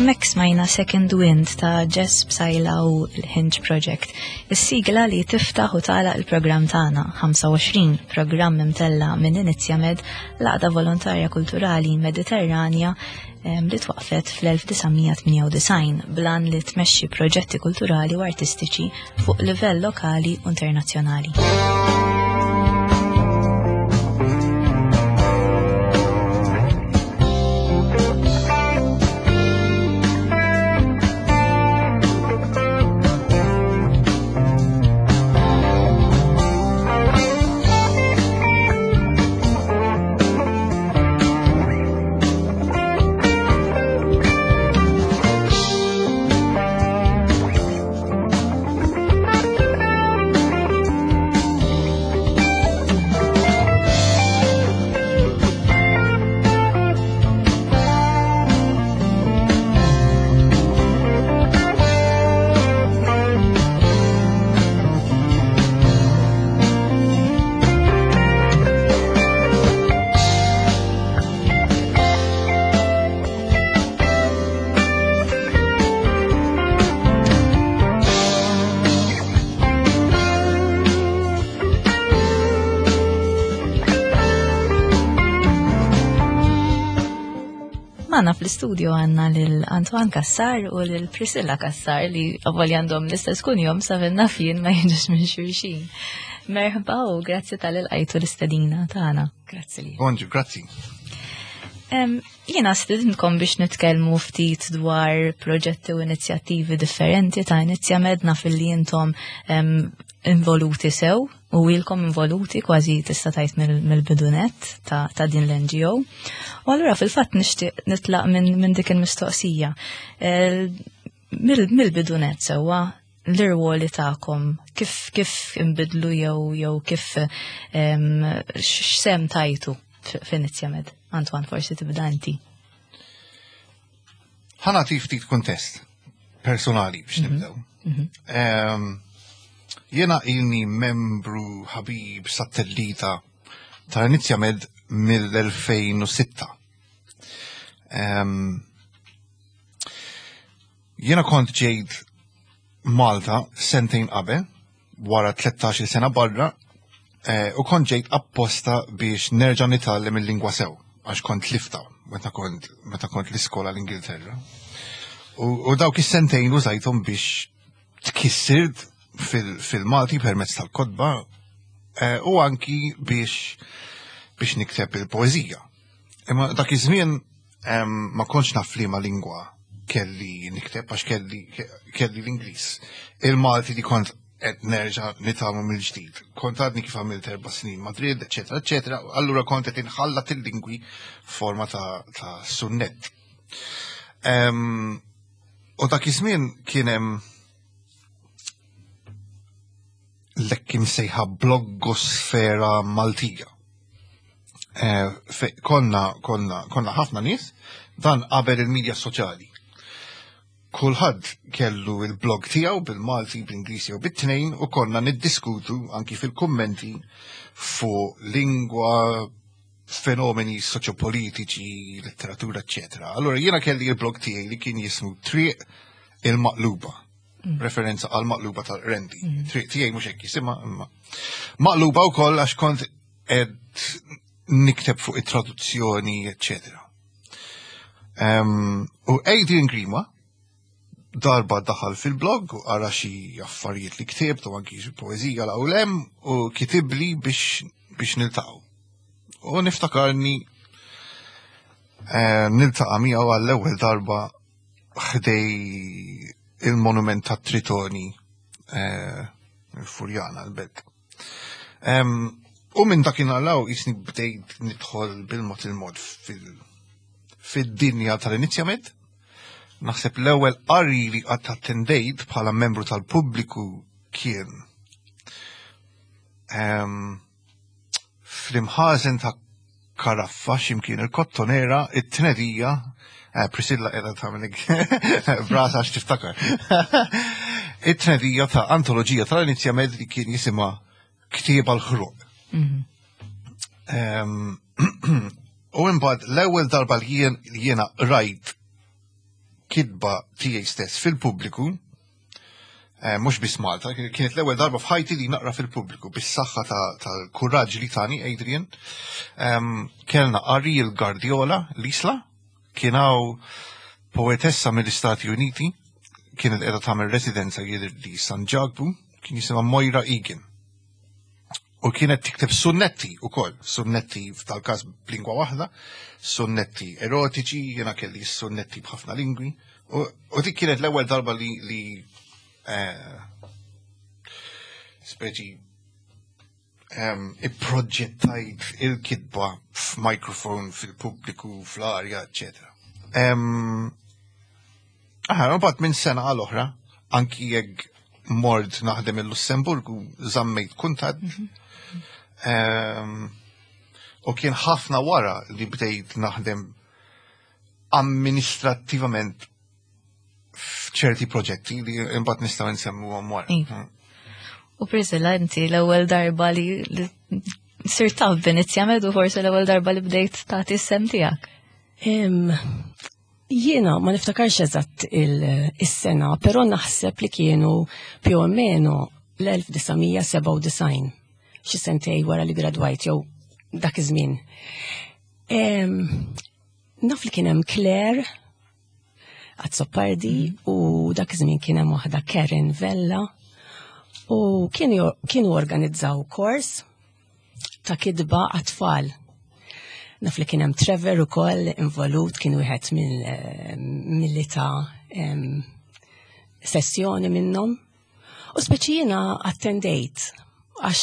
Hemmhekk smajna Second Wind ta' Jess Psaila u l-Hinge Project, is-sigla li tiftaħ u tagħlaq il-programm tagħna 25, programm imtella minn Inizjamed, l-għaqda volontarja kulturali Mediterranja li twaqfet fl-1998 blan li tmexxi proġetti kulturali u artistiċi fuq livell lokali u internazzjonali. Magħna fl-istudio għandna lil Antoine Cassar u lil Priscilla Cassar li għavoli għandhom l-istess kunjom sa finna fien ma jiġux minn xulxin. Merħba u grazzi tal-ilqajtu l-istedina tagħna. Grazzi li. Bonġu, grazzi. Jiena stidintkom biex nitkellmu ftit dwar proġetti u inizjattivi differenti ta' Inizjamed naf li intom involuti sew u ilkom involuti kważi tista' tgħid mill-bidunet ta', ta din l-NGO. U allura fil-fatt nixtieq nitlaq minn min dik il-mistoqsija. Mill-bidunet sewwa l-irwoli tagħkom kif kif inbidlu jew jew kif x'sem tajtu f'Inizjamed? Antoine, forsi tibda inti. Ħa nagħti ftit kuntest personali biex mhm. nibdew. Mhm. Jena ilni membru ħabib satellita ta' Inizjamed mill-2006. Jiena kont ġejt Malta sentejn qabel, wara 13 sena barra, eh, u kont ġejt apposta biex nerġa' nitgħallem il-lingwa sew, għax kont lifta meta kont meta kont l-iskola l-Ingilterra. U, u dawk is-sentejn użajthom biex tkissir fil-Malti permezz tal-kotba eh, u anki biex biex nikteb il-poeżija. Imma dak iż-żmien ma kontx naf liema lingwa kelli nikteb għax kelli kelli l-Ingliż. Il-Malti li kont qed nerġa' nitgħallmu mill-ġdid. Kont għadni kif għamilt erba' snin Madrid, eċetera, eċetera, allura kont qed inħallat il-lingwi forma ta', ta sunnett. U dak iż-żmien kien hemm l-hekk imsejħa bloggosfera Maltija. Eh, konna, konna, konna ħafna nies dan qabel il-medja soċjali. Kulħadd kellu il-blog tiegħu bil-Malti, bl-Ingliż jew bit-tnejn u konna niddiskutu anki fil-kummenti fuq lingwa, fenomeni soċjopolitiċi, letteratura, eccetera. Allora jiena kelli il-blog tiegħi li kien jismu Triq il-Maqluba. Referenza għal maqluba tal-rendi. Triq tiegħi mhux hekk jisimha imma. Maqluba wkoll għax kont qed nikteb fuq it-traduzzjoni, eccetera. U Adrian Grima darba daħal fil-blog u qara xi affarijiet li ktibt u anki xi poeżija l hemm u kitibli biex niltaqgħu. U niftakarni niltaqa' miegħu għall-ewwel darba ħdej il-monument ta' Tritoni il-Furjana l-Belt. U minn dakinhar 'l hawn jisni bdejt nidħol bil-mod il-mod fid-dinja tal-Inizjamed. Naħseb l-ewwel qari li qatt attendejt bħala membru tal-pubbliku kien fl-imħażen ta' Karaffa x'imkien il-Kottonera it-tnedija Priscilla qiegħda tagħmel brasa għax tiftakar. It-tnedija ta' antoloġija tal-Inizjamed li kien jisimha Ktieb għall-Ħruq. U imbagħad l-ewwel darba li jiena rajt kitba tiegħi stess fil-pubbliku, mhux biss Malta, kienet l-ewwel darba f'ħajti li naqra fil-pubbliku bis-saħħa tal-kuraġġ li tani Adrian. Kellna qari l-Guardiola l-Isla, kien hawn poetessa mill-Istati Uniti, kienet qiegħda tagħmel residenza jidher li San Ġakbu, kien jisimha Moira Egan. U kienet tikteb sunnetti ukoll, sunnetti f'tal-każ b'lingwa waħda, sunnetti erotiċi, jiena kelli sunnetti b'ħafna lingwi. U dik kienet l-ewwel darba li speċi ipproġettajt il-kitba f'mikrofon fil-pubbliku, fl-arja, eccetera. Aha, mbagħad minn sena għal oħra, anki jekk mort naħdem il-Lussemburgu, żammejt kuntatt. U kien ħafna wara li bdejt naħdem amministrattivament f'ċerti proġetti li imbagħad nistgħu nsemmuhom wara. Iva. U Priscilla, inti l-ewwel darba li sirt taf b'Inizjamed u forsi l-ewwel darba li bdejt tagħti s-sem tiegħek. Jiena ma niftakarx eżatt il-sena, però naħseb li kienu più o meno l-1997, xi sentej wara li gradwajt jew dak iż-żmien. Naf li kien hemm Claire Azzopardi u dak iż-żmien kien hemm waħda Karen Vella u kienu organizzaw kors ta' kitba għat-tfal. Naf li kien hemm Trevor ukoll involut, kien wieħed mill-li ta' sessjoni minnhom. U speċi jiena attendejt għax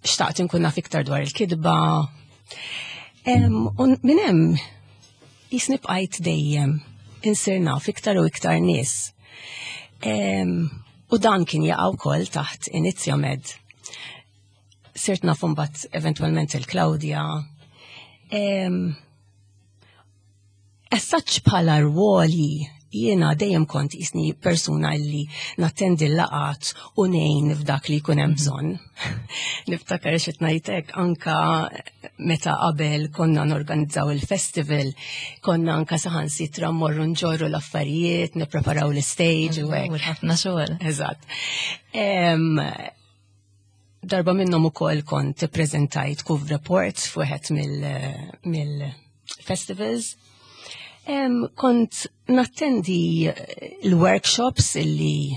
xtaqt inkun naf iktar dwar il-kitba. U minn hemm jisni bqajt dejjem insir naf iktar u iktar nies. U dan kien jaqa' wkoll taħt Inizjamed. Sirt naf imbagħad eventwalment il-Claudia. As such bħala rwoli jiena dejjem kont jisni persuna li nattendi l-laqat u ngħin f'dak li jkun hemm bżonn. Niftakar xi ngħidlek anka meta qabel konna norganizzaw il-festival, konna anka saħansitra mmorru nġorru l-affarijiet, nippreparaw l-stage u hekk. Ħafna xogħol. Eżatt. Darba minnhom ukoll kont ippreżentajt Kuv Report f'wieħed mill-festivals. Kont nattendi l-workshops illi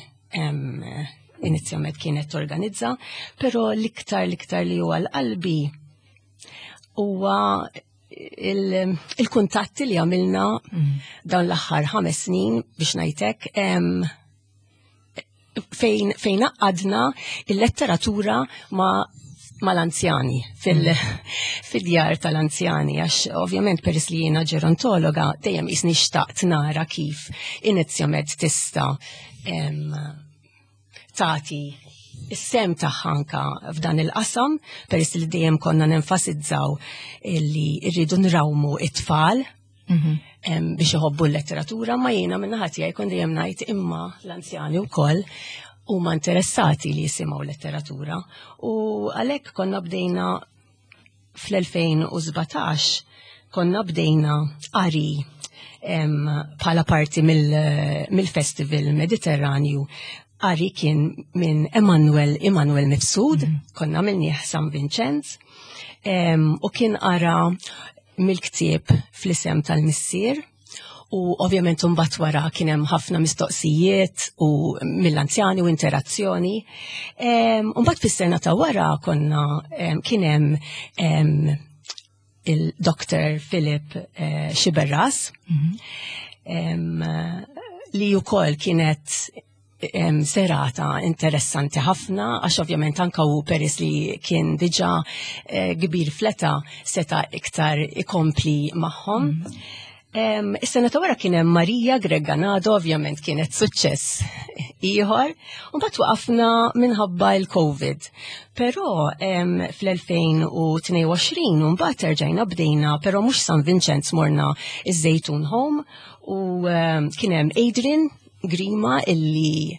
Inizjamed kienet torganizza, però l-iktar li huwa l-qalbi huwa il-kuntatti li għamilna dawn l-aħħar 5 snin biex ngħidlek, fejn għadna il-letteratura mal-anzjani, fil-djar tal-anzjani, għax ovvjament peress li jiena ġerontologa, dejjem jisni xtaqt nara kif Inizjamed tista' tagħti is-sem tagħha anka f'dan il-qasam, peress li dejjem konna nenfasizzaw li rridu nrawmu it-tfal biex iħobbu l-letteratura, ma jiena minn naħa tiegħi kont dejjem ngħid imma l-anzjani wkoll huma interessati li jisimgħu letteratura u għalhekk konna bdejna fl-2017 konna bdejna qari bħala parti mill-Festival Mediterranju. Qari kien minn Emanuel Emanuel Mifsud, konna għamilnieh San Vincenz, u kien qara mill-ktieb Fl-isem tal-Missier. U ovvjament imbagħad wara kien hemm ħafna mistoqsijiet u mill-anzjani u interazzjoni. Mbagħad fis-sena ta' wara konna kien hemm il-Dr. Philip Sciberras, li wkoll kienet serata interessanti ħafna, għax ovvjament anka u peris li kien diġa kbir fleta seta iktar ikompli magħhom. Is-sena ta' wara kien hemm Marija Greganado, ovvjament kienet suċċess ieħor, u mbagħad waqafna minħabba l-Covid. Però fl-2022 mbagħad erġajna bdejna, però mhux San Vincenz morna iż-Żejtun Home u kien hemm Adrian Grima illi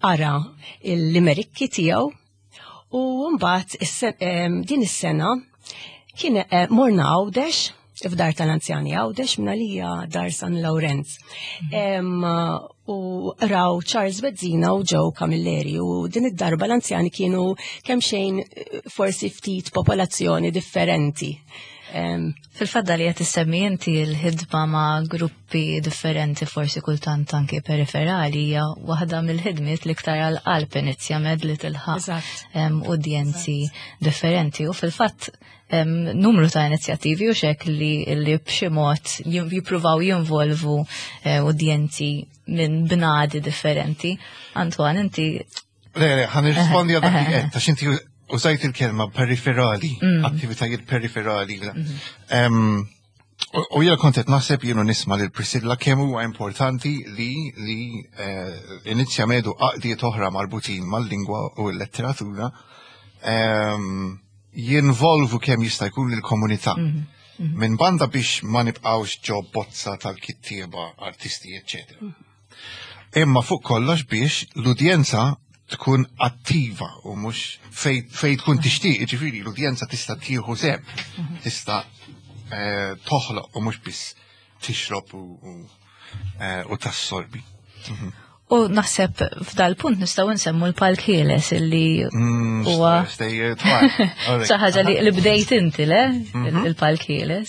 qara il-limerikki tiegħu u mbagħad din is-sena kien morna Għawdex f'dar tal-anzjani Għawdex minn dar San Lawrenz. U raw Charles Bezzina u Joe Camilleri u din id-darba l-anzjani kienu kemm xejn forsi ftit popolazzjoni differenti. Fil-fadda li qed issemmi inti l-ħidma ma' gruppi differenti forsi kultant anke periferali hija waħda mill-ħidmiet l-iktar għal-qalb Inizjamed li tilħaq udjenzi differenti u fil-fatt numru ta' inizjattivi u xek li, li b'xi mod jippruvaw jinvolvu udjenzi minn bnadi differenti. Antoine, inti Le, le, ħa nirrispondi għal dak li qed, għax inti użajt il-kelma periferali, attivitajiet periferali. U jiena kont qed naħseb jienu nisma' lil Priscilla kemm huwa importanti li Inizjamed u għaqdiet oħra marbutin mal-lingwa u l-letteratura jinvolvu kemm jista' jkun il-komunità. Minn banda biex ma nibqgħux ġo bozza tal-kittieba, artisti, eccetera. Imma fuq kollox biex l-udjenza tkun attiva u mhux fej tkun tixtieq, ġifieri l-udjenza tista' tieħu sehem, tista' toħloq u mhux biss tixrob u tassorbi. U naħseb f'dal punt nistgħu nsemmu l-palk ħieles illi huwa Stejjer twal. xi ħaġa li bdejt inti le il-palk ħieles.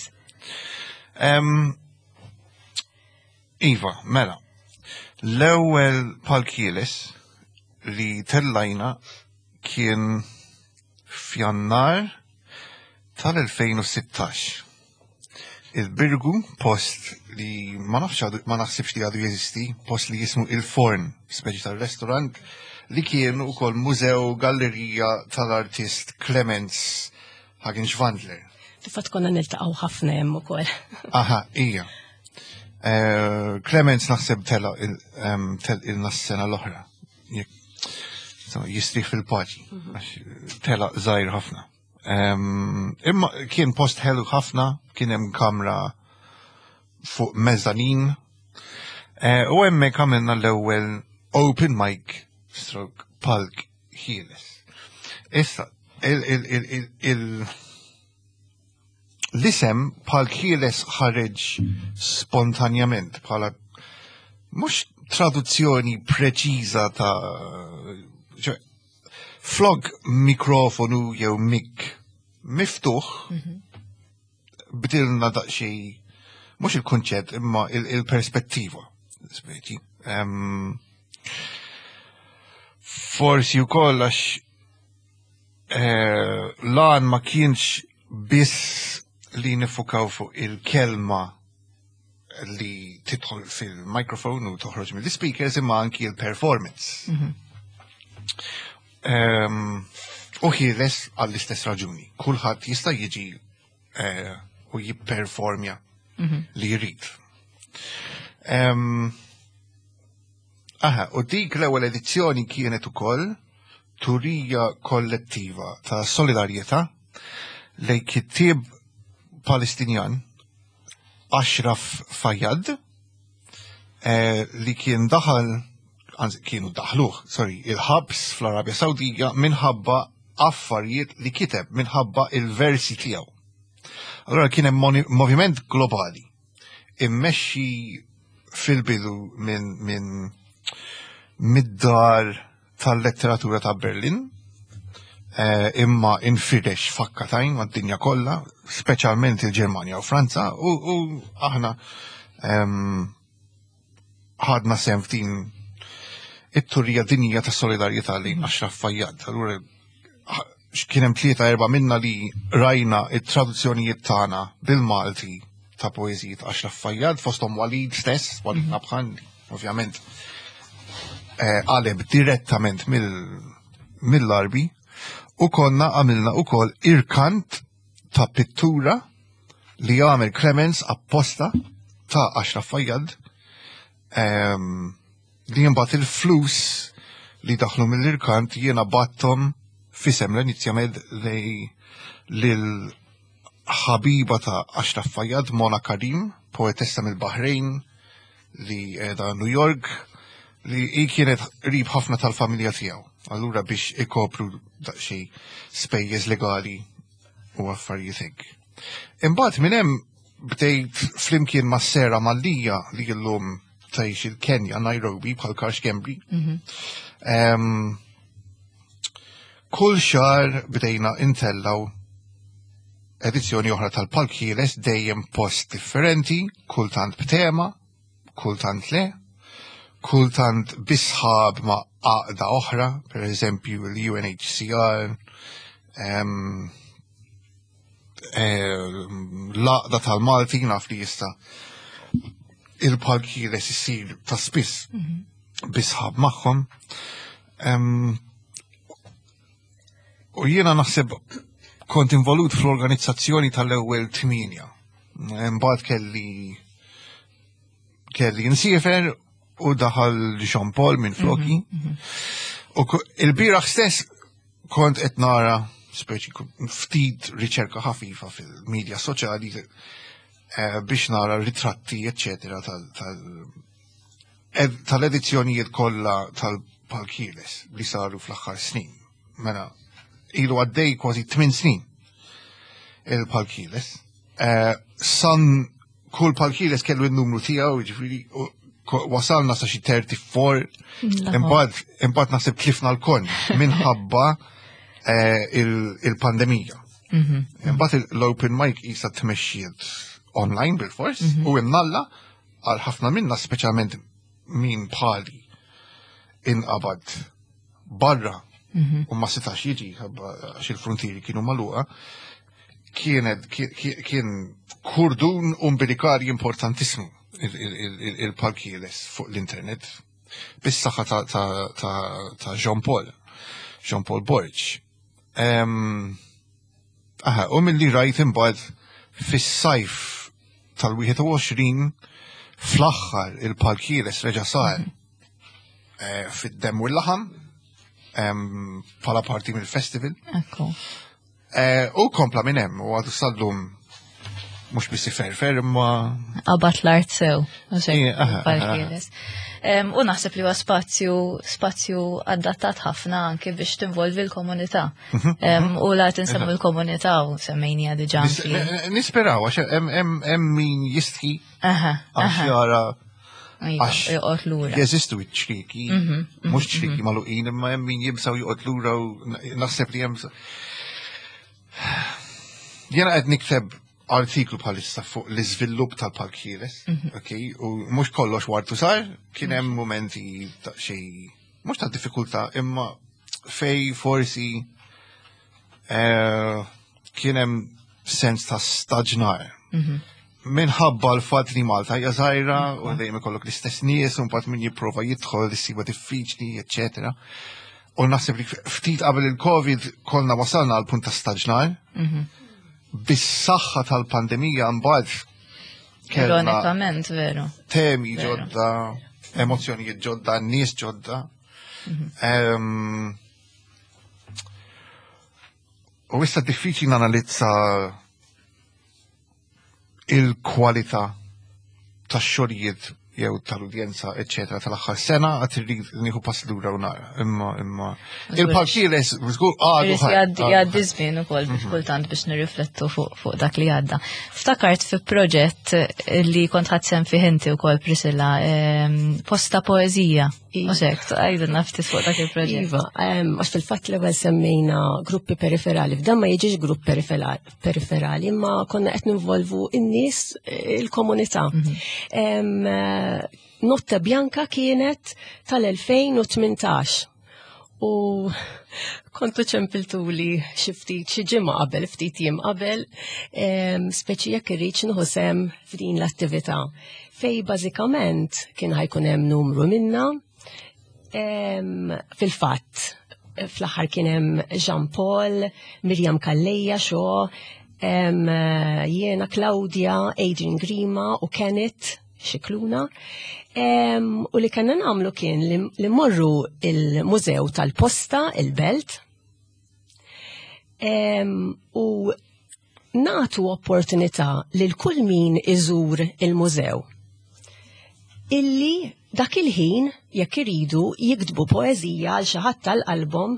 Iva, mela. L-ewwel palk ħieles li tellajna kien f'Jannar tal-2016. Il-Birgu, post li ma nafx għadu, ma naħsibx li għadu jeżisti, post li jismu Il-Forn, speċi tal-restaurant, li kien ukoll mużew gallerija tal-artist Clemens Hagen-Schwandler. Fil-fatt konna niltaqgħu ħafna hemm ukoll. Aha, ija. Clemens naħseb tela il sena l-oħra. Jistrieħ fil-paċi, għax tela żgħir ħafna. Imma kien post ħelu ħafna, kien hemm kamra fuq mezzanin. U hemmhekk għamilna l-ewwel open mic stroke palk ħieles. Issa, l-isem palk ħieles ħareġ spontanjament bħala mhux traduzzjoni preċiża ta' ċe, flok mikrofonu jew mik miftuħ, bdilna daqsxejn mhux il-kunċett imma il-perspettiva. Speċi. Forsi wkoll għax lan ma kienx biss li nifukaw fuq il-kelma li tidħol fil-mikrofon u toħroġ mill-speakers imma anki il-performance. U ħieles għall-istess raġuni. Kulħadd jista' jiġi u jipperformja li jrid. Aha, u dik l-ewwel edizzjoni kienet ukoll turija kollettiva ta' solidarjetà lejn kittieb Palestinjan Ashraf Fayyad li kien daħal, anzi kienu daħluh, sorry, il-ħabs fl-Arabja Sawdija minħabba affarijiet li kiteb minħabba il-versi tiegħu. Allora kien hemm moviment globali immexxi fil-bidu minn min, mid-dar tal-letteratura ta' Berlin, eh, imma infirex fakkatajn mad-dinja kollha, speċjalment il-Ġermanja u Franza, u, u aħna ehm, ħadna sehem f'din it-turija dinjija ta' solidarjetà lejn Ashraf Fayyad. Allura kien hemm tlieta erba' minna li rajna it-traduzzjonijiet tagħna bil-Malti ta' poeżiji ta' Ashraf Fayyad fosthom Walid stess, Walid mhm. Nabhan, ovvjament eh, qaleb direttament mill-Arbi u konna għamilna ukoll irkant ta' pittura li għamel Clemens apposta ta' Ashraf Fayyad ehm, li mbagħad il-flus li daħlu mill-irkant jiena battom fisem l-inizjamed li lil ħabiba ta' Ashraf Fayyad, Mona Karim, poetessa mill-Bahrejn li qiegħda New York, li hi kienet qrib ħafna tal-familja tiegħu. Allura biex ikopru daqsxejn spejjeż legali u affarijiet hekk. Imbagħad minn hemm bdejt flimkien ma' Sera Mallija li llum tgħix il-Kenja, Nairobi, bħal Karl Schembri. Mhm. Kull xahar bdejna intellaw edizzjoni oħra tal-Palk Ħieles dejjem post differenti, kultant b'tema, kultant le, kultant bisħab ma' għaqda oħra, per eżempju l-UNHCR, l-għaqda tal-Malti naf li jista' il-Palk Ħieles isir ta' spiss mhm. bisħab magħhom. U jiena naħseb kont involut fl-organizzazzjoni tal-ewwel tmienja. Imbagħad kelli kelli nsiefer u daħal Jean Paul minn floki. Mhm, mhm. U il-bieraħ stess kont qed nara speċi ftit riċerka ħafifa fil-medja soċjali eh, biex nara ritratti eccetera tal-edizzjonijiet kollha tal-Palkieles li saru fl-aħħar snin. Mela, ilu għaddej kważi 8 snin il-Palkieles. Eh, san kull Palkieles kellu n-numru tiegħu, jiġifieri wasalna sa xi 34, imbagħad imbagħad naħseb tlifna l-kon minħabba eh, il-pandemija. Mhm. Imbagħad l-open mic isa tmexxiet online bil-fors mhm. u imnalla għal ħafna minna speċjalment min bħali inqabad barra mhm. u ma setax jiġi għax il-frontieri kienu magħluqa, kienet kien kurdun umbilikali importantissimu il-palkieles fuq l-internet bis-saħħa ta' Jean Paul, Jean Paul Borg. Aha, u mill-li rajt imbagħad fis-sajf tal-21 fl-aħħar il-palkieles reġa' sar eh, fid-dem u l-laħam bħala parti mill-festival. Ekku. Eh, u kompla minn hemm u għadu sallum mhux biss iferfer imma Qabat l-art sew. U naħseb li huwa spazju spazju adattat ħafna anke biex tinvolvi l-komunità. Mhm, mhm. U la tinsemmu l-komunità u semmejnija diġà. Nisperaw għax hemm min jistħi għax jara iva, għax joqgħod lura. Jeżistu ċ-ċrieki, mhm, mhux ċrieki magħluqin, imma hemm min jibsaw joqgħod lura u naħseb li hemm Jena qed nikteb artiklu bħalissa fuq l-iżvilupp tal-Park Ħieles, mhm. ok, u mhux kollox wartu sar, kien hemm mhm. momenti ta' xi mhux ta' diffikultà, imma fej forsi eh, kien hemm sens ta' staġnar. Mhm. Minħabba l-fatt li Malta hija żgħira u dejjem ikollok l-istess nies u mbagħad min jipprova jidħol issiba diffiċli, eċċetera. U naħseb li ftit qabel il-Covid konna wasalna għal punt ta' staġnar. Mhm. Bis-saħħa tal-pandemija mbagħad kellna Ironikament, veru. Temi ġodda, emozzjonijiet ġodda, nies ġodda. Mhm. U issa diffiċli nanalizza il-kwalità tax-xogħlijiet jew tal-udjenza, eċċetera, tal-aħħar sena għad irrid nieħu pass lura u nara. Imma imma il-palkiles żgur għadu. Jgħaddi żmien ukoll biex mhm. kultant biex nirriflettu fuq dak li għadda. Ftakart fi proġett li kont ħadd sem fih inti wkoll Priscilla, ehm, posta poeżija. Uxek, għajdilna ftit fuq dak il-proġett. Iva, għax fil-fatt l-ewwel semmejna gruppi periferali, f'dan ma jiġix grupp periferali, imma konna qed ninvolvu n-nies eh, il-komunità. Mhm. Eh, Notte Bianca kienet tal-2018 u kontu ċempiltuli xi ftit xi ġimgħa qabel, ftit jiem qabel, speċi jekk irrid nieħu sem f'din l-attività. Fej bażikament kien ħajkun hemm numru minna fil-fatt fl-aħħar kien hemm Jean Paul, Miriam Calleja, xo, jiena Claudia, Adrian Grima u Kenneth Xikluna. U li kellna nagħmlu kien li morru il-Mużew tal-Posta, il-Belt, u nagħtu opportunità lil kull min iżur il-mużew illi dak il-ħin jekk iridu jiktbu poeżija għal xi ħadd tal-album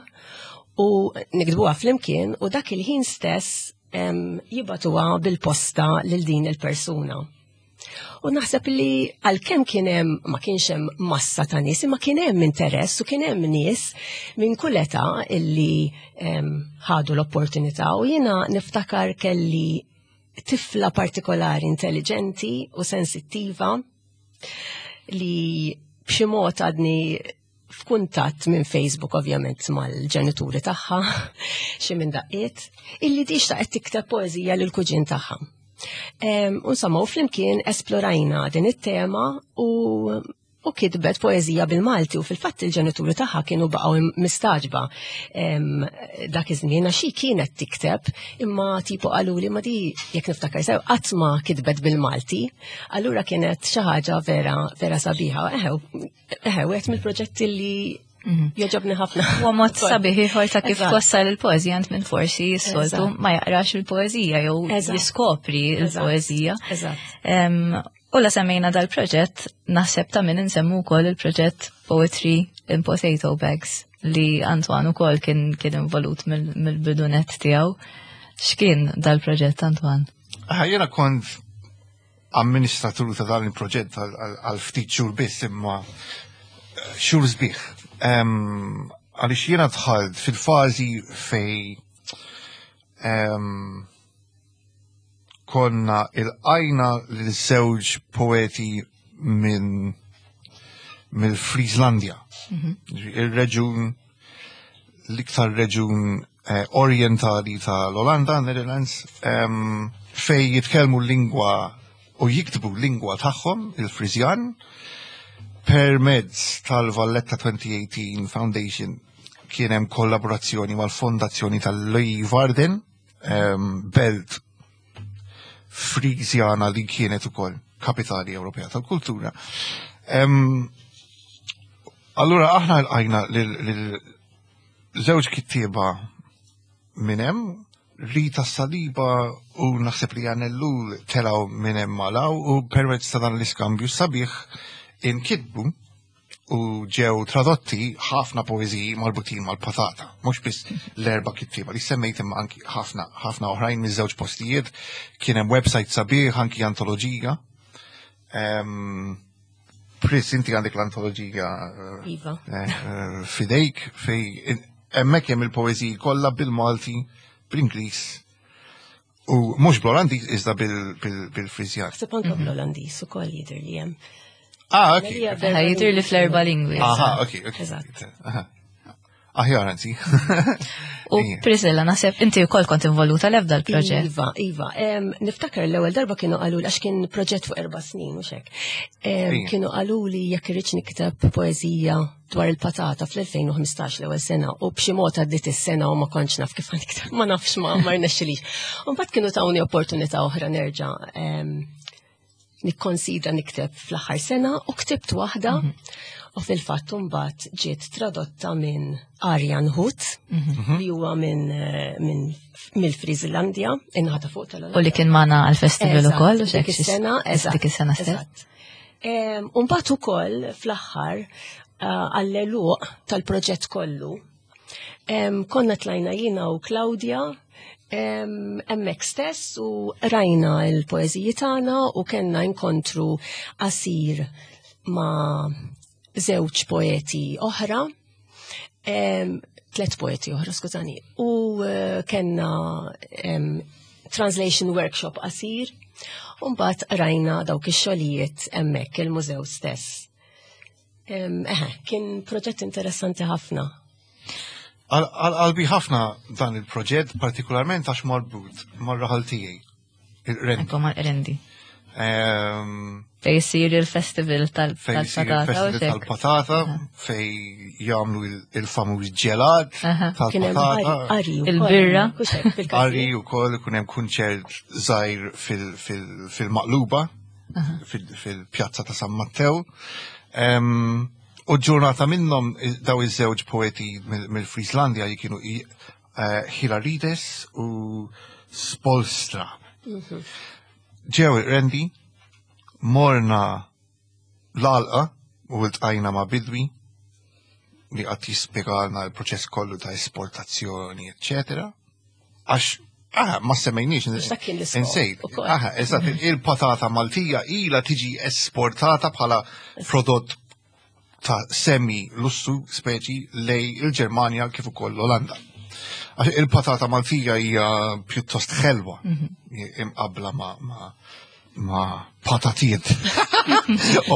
u niktbuha flimkien u dak il-ħin stess jibatuha bil-posta lil din il-persuna. U naħseb li għalkemm kien hemm ma kienx hemm massa ta' nies, imma kien hemm interess u kien hemm nies minn kull età illi ħadu l-opportunità u jiena niftakar kelli tifla partikolari intelligenti u sensittiva li b'xi mod għadni f'kuntatt minn Facebook ovvjament mal-ġenituri tagħha xi minn daqqiet illi di xtaqet tikteb poeżija lil kuġin tagħha. Insomma, u flimkien esplorajna din it-tema u u kitbet poeżija bil-Malti u fil-fatt il-ġenituri tagħha kienu baqgħu mistaġba dak iż-żmien għax hi kienet tikteb imma tipo qaluli ma di jekk niftakar sew qatt ma kitbet bil-Malti. Allura kienet xi ħaġa vera vera sabiħa. Eħe, Eħe, wieħed mill-proġetti li mhm. joġobni ħafna. Huwa mod sabiħ ieħor ta' kif twassal il-poeżija ant minn forsi s-soltu ma jaqrax il-poeżija jew jiskopri il-poeżija. U la semmejna dal-proġett, naħseb ta' min insemmu wkoll il-proġett Poetry in Potato Bags li Antoine ukoll kien kien involut mill-bidunet tiegħu. X'kien dal-proġett Antoine? Jiena kont amministratur ta' dan il-proġett għal ftit xhur biss imma eh, xhur sbieħ. Għaliex jiena dħalt fil-fażi fej konna il-qajna lil żewġ poeti minn mill-Frieslandia. Mhm. Il-reġun l-iktar reġun eh, orientali tal-Olanda, Netherlands, fej jitkellmu l-lingwa u jiktbu l-lingwa tagħhom, il-Frizjan, permezz tal-Valletta 2018 Foundation kien hemm kollaborazzjoni mal-fondazzjoni tal-Leeuwarden, belt Frizjana li kienet ukoll kapitali Ewropea tal-kultura. Allura aħna l-għajna lil żewġ kittieba minn hemm, Rita Saliba u naħseb li Jan Ellul telgħu minn hemm malaw u permezz ta' dan l-iskambju sabiħ inkitbu u ġew tradotti ħafna poeżiji marbutin mal-patata, mhux biss l-erba' kittieba li semmejt imma anki ħafna ħafna oħrajn miż-żewġ postijiet, kien hemm website sabiħ anki antoloġija. Pris, inti għandek l-antoloġija eh, iva. eh, eh, fidejk fej hemmhekk hemm il-poeżiji kollha bil-Malti, bl-Ingliż u mhux bl-Olandiż iżda bil-Friżjan. Ħseb anke mhm. bl-Olandiż ukoll jidher li hemm. Ah, ok. Jidher li fl-erba' lingwi. Aha, ok, ok. Eżatt. Aħjar anzi. U Priscilla, naħseb inti wkoll kont involuta l-ebda l-proġett. Iva, iva. Niftakar l-ewwel darba kienu qalu għax kien proġett fuq erba' snin u xek. Kienu qalu li jekk irridx nikteb poeżija dwar il-patata fl-2015 l-ewwel sena u b'xi mod għaddiet is-sena u ma kontx naf kif nikteb, ma nafx ma ma rnexxilix. U mbagħad kienu tawni opportunità oħra nerġa' nikkonsidra nikteb fl-aħħar sena u ktibt waħda mhm. u fil-fatt mbagħad ġiet tradotta minn Arjan Hut mhm. li huwa minn eh, min, mill-Friżlandja inħata fuq tal U li kien magħna għall-festival ukoll u dik is-sena, dik is-sena stess. Umbagħad ukoll fl-aħħar għall-għeluq tal-proġett kollu, konna tlajna jiena u Claudia hemmhekk stess u rajna l-poeżiji tagħna u kellna inkontru qasir ma' żewġ poeti oħra, tlet poeti oħra, skużani, u eh, kellna translation workshop qasir, u mbagħad rajna dawk ix-xogħlijiet hemmhekk il-mużew stess. Eħe, kien proġett interessanti ħafna. Għal-qalbi ħafna dan il-proġett, partikolarment għax marbut mar-raħal tiegħi, il-Qrendi. Ekku mal-Qrendi. Fej jisir il-festival tal-patata. Tal-patata, fej jagħmlu il-famuż ġelat tal-patata. Il-birra. Qari wkoll ikun hemm kunċert żgħir fil-maqluba. Fil-pjazza ta' San Mattew. U ġurnata minnhom daw iż-żewġ poeti mill-Frieslandia li kienu eh, Hilarides u Spolstra. Mhm. Ġew rendi morna l-alqa u ltqajna ma' bidwi li qatt jispjegalna l-proċess kollu ta' esportazzjoni, eccetera. Għax, aha, ma semmejniex. Insejt. Aha, eżatt, il-patata Maltija ila tiġi esportata bħala prodott ta' semi lussu speċi lej il-Ġermanja kif ukoll l-Olanda. Għax il-patata Maltija hija pjuttost ħelwa mhm. imqabla ma' ma' ma' patatiet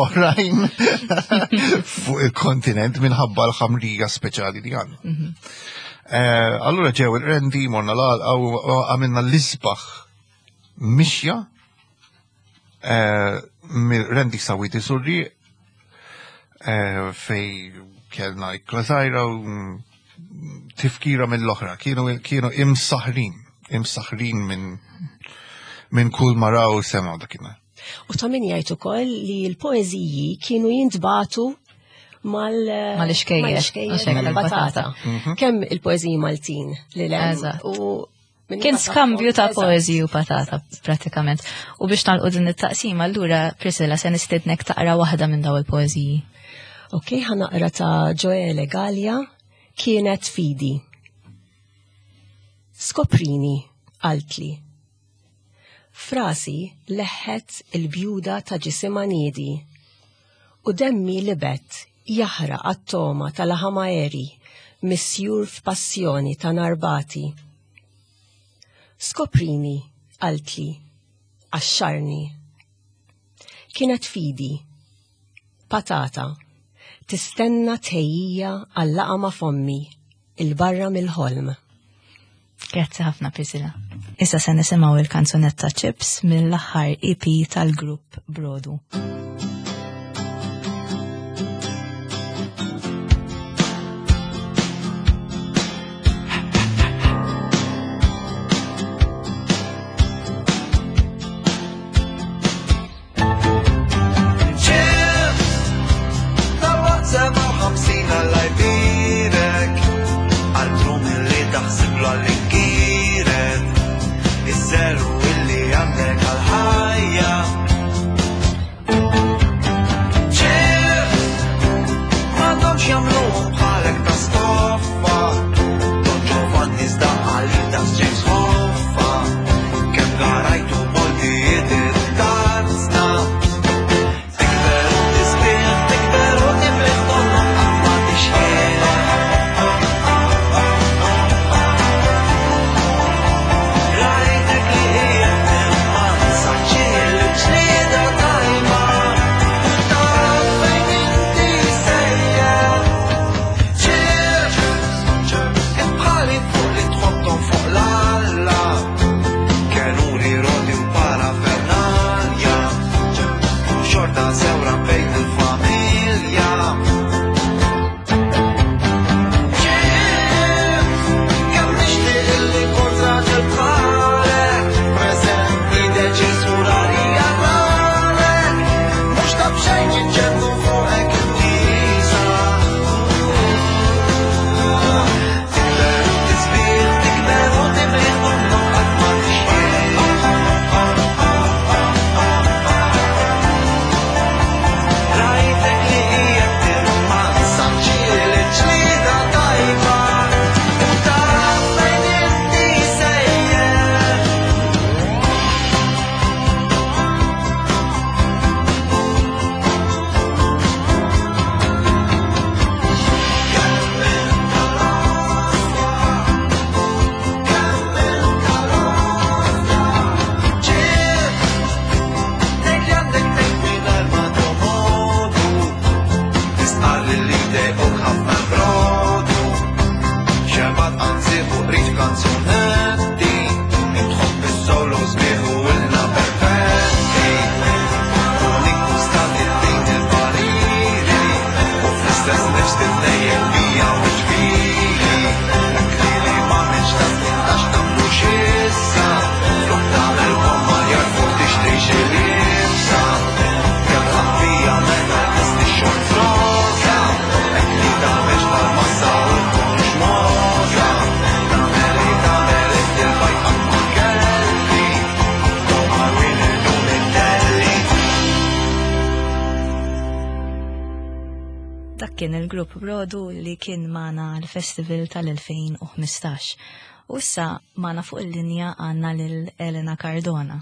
oħrajn fuq il-kontinent minħabba l-ħamrija speċjali li għandna. Mhm. Eh, allura ġew il-rendi, morna l-għalqa u għamilna l-isbaħ mixja eh, mill-rendi sawit isurri eh, fej kellna ikla żgħira u tifkira mill-oħra, kienu kienu imsaħrin, imsaħrin minn minn kull maraw sema dakinhar. U ta' min jgħid ukoll li l-poeżiji kienu jintbatu mal mal-iskejjer tal-patata. Mhm. Kemm il-poeżiji Maltin li l U Kien skambju ta' poeżiji u patata pratikament. U biex nagħlqu din it-taqsima allura Priscilla se nistednek taqra waħda minn daw il-poeżiji. Ok, ħanaqra ta' Joele Gallia, Kienet fidi. Skoprini, qaltli. Frasi leħħet il-bjuda ta' ġisimha niedi u demmi libet jaħraq għat-togħma ta' laħam għeri misjur f'passjoni ta' nar bati. Skoprini, qaltli, qaxxarni. Kienet fidi. Patata. Tistenna tħejjija għal-laqgħa ma' fommi, 'il barra mill-ħolm. Grazzi ħafna Priscilla. Issa se nisimgħu il-kanzunetta Chips mill-aħħar EP tal-grupp Brodu. Kien il-grupp Brodu li kien magħna l-festival tal-2015. U issa magħna fuq il-linja għandna lil Elena Cardona.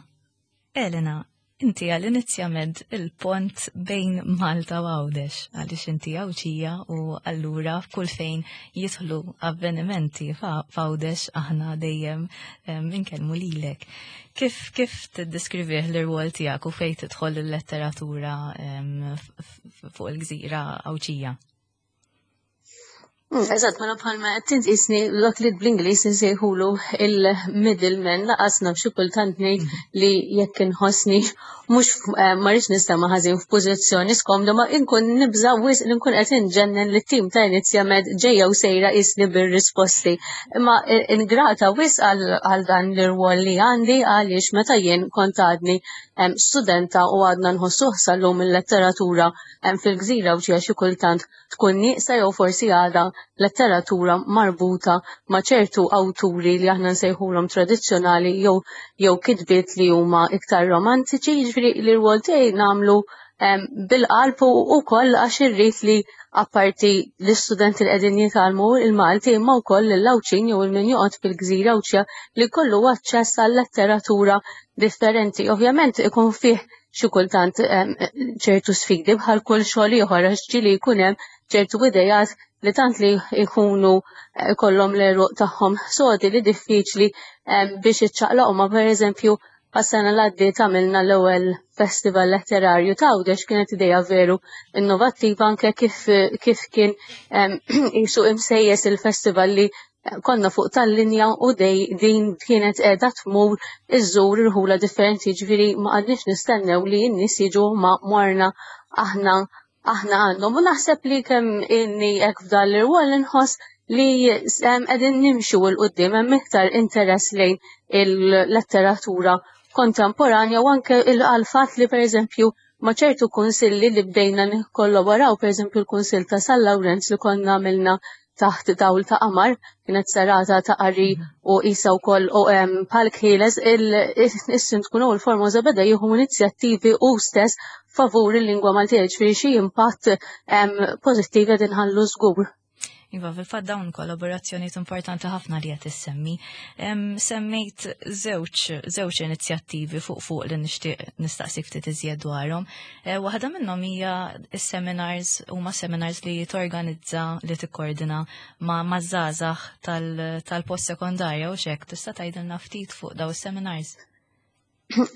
Elena, inti għall-inizjament il-pont bejn Malta u Għawdex, għaliex inti Għawdxija u allura f'kull fejn jidħlu avvenimenti f'Għawdex aħna dejjem inkellmu lilek. Kif kif tiddeskrivih l-irwol tiegħek u fejn tidħol il-letteratura fuq il-gżira Għawdxija? Eżatt, mela bħalma qed tint qisni dak li bl-Ingliż insejħulu il-middleman laqas naf xi kultant ngħid li jekk inħossni mhux eh, ma rridx nistema' ħażin f'pożizzjoni skomda ma inkun nibża' wisq li nkun qed inġennen li tim ta' Inizjamed ġejja u sejra qisni bir-risposti. Imma eh, ingrata wisq għal dan l-irwol li għandi għaliex meta jien kont għadni studenta u għadna nħossuh sal-lum il-letteratura fil-gżira u xi kultant tkun nieqsa jew forsi għadha letteratura marbuta ma' ċertu awturi li aħna nsejħulhom tradizzjonali jew jew kitbiet li huma iktar romantiċi, jiġifieri li r-rwol tiegħi nagħmlu bil-qalb u wkoll għax irrid li apparti l-istudenti li qegħdin jitgħallmu il-Malti imma wkoll lill-Għawdxin jew il-min joqgħod fil-gżira Għawdxija li jkollu aċċess għal letteratura differenti. Ovvjament ikun fih xi kultant ċertu sfidi bħal kull xogħol ieħor għax ġieli jkun hemm ċertu idejat li tant li jkunu eh, kollhom l-eruq tagħhom sodi li diffiċli biex iċċaqlaqhom ma pereżempju għas-sena l għaddiet għamilna l-ewwel festival letterarju ta' Għawdex kienet idea veru innovattiva anke kif kif kien jisu imsejjes il-festival li konna fuq tal-linja u dej din kienet qiegħda tmur iżżur irħula differenti, ġifieri ma qgħadniex nistennew li n-nies jiġu ma morna aħna aħna għandhom. U naħseb li kemm inni hekk f'dan l-irwol inħoss li qegħdin nimxu 'l quddiem hemm iktar interess lejn il-letteratura kontemporanja u anke il-fatt li pereżempju ma' ċertu kunsilli li bdejna nikkollaboraw, pereżempju l-Kunsill ta' San Lawrenz li konna għamilna taħt dawl ta' qamar, kienet serata ta' qari u isa wkoll u palk ħieles, is-Sindku Noel Formosa beda jieħu inizjattivi u stess favur il-lingwa Maltija, ġifieri xi impatt pożittiv qed inħallu żgur. Iva, fil-fatt dawn kollaborazzjonijiet importanti ħafna li qed issemmi. Semmejt żewġ żewġ inizjattivi fuq fuq li nixtieq nistaqsik ftit iżjed dwarhom. Eh, waħda minnhom hija s-seminars huma seminars li torganizza li tikkordina ma' maż-żgħażagħ tal-post sekondarja u xek tista' tgħidilna ftit fuq daw is-seminars.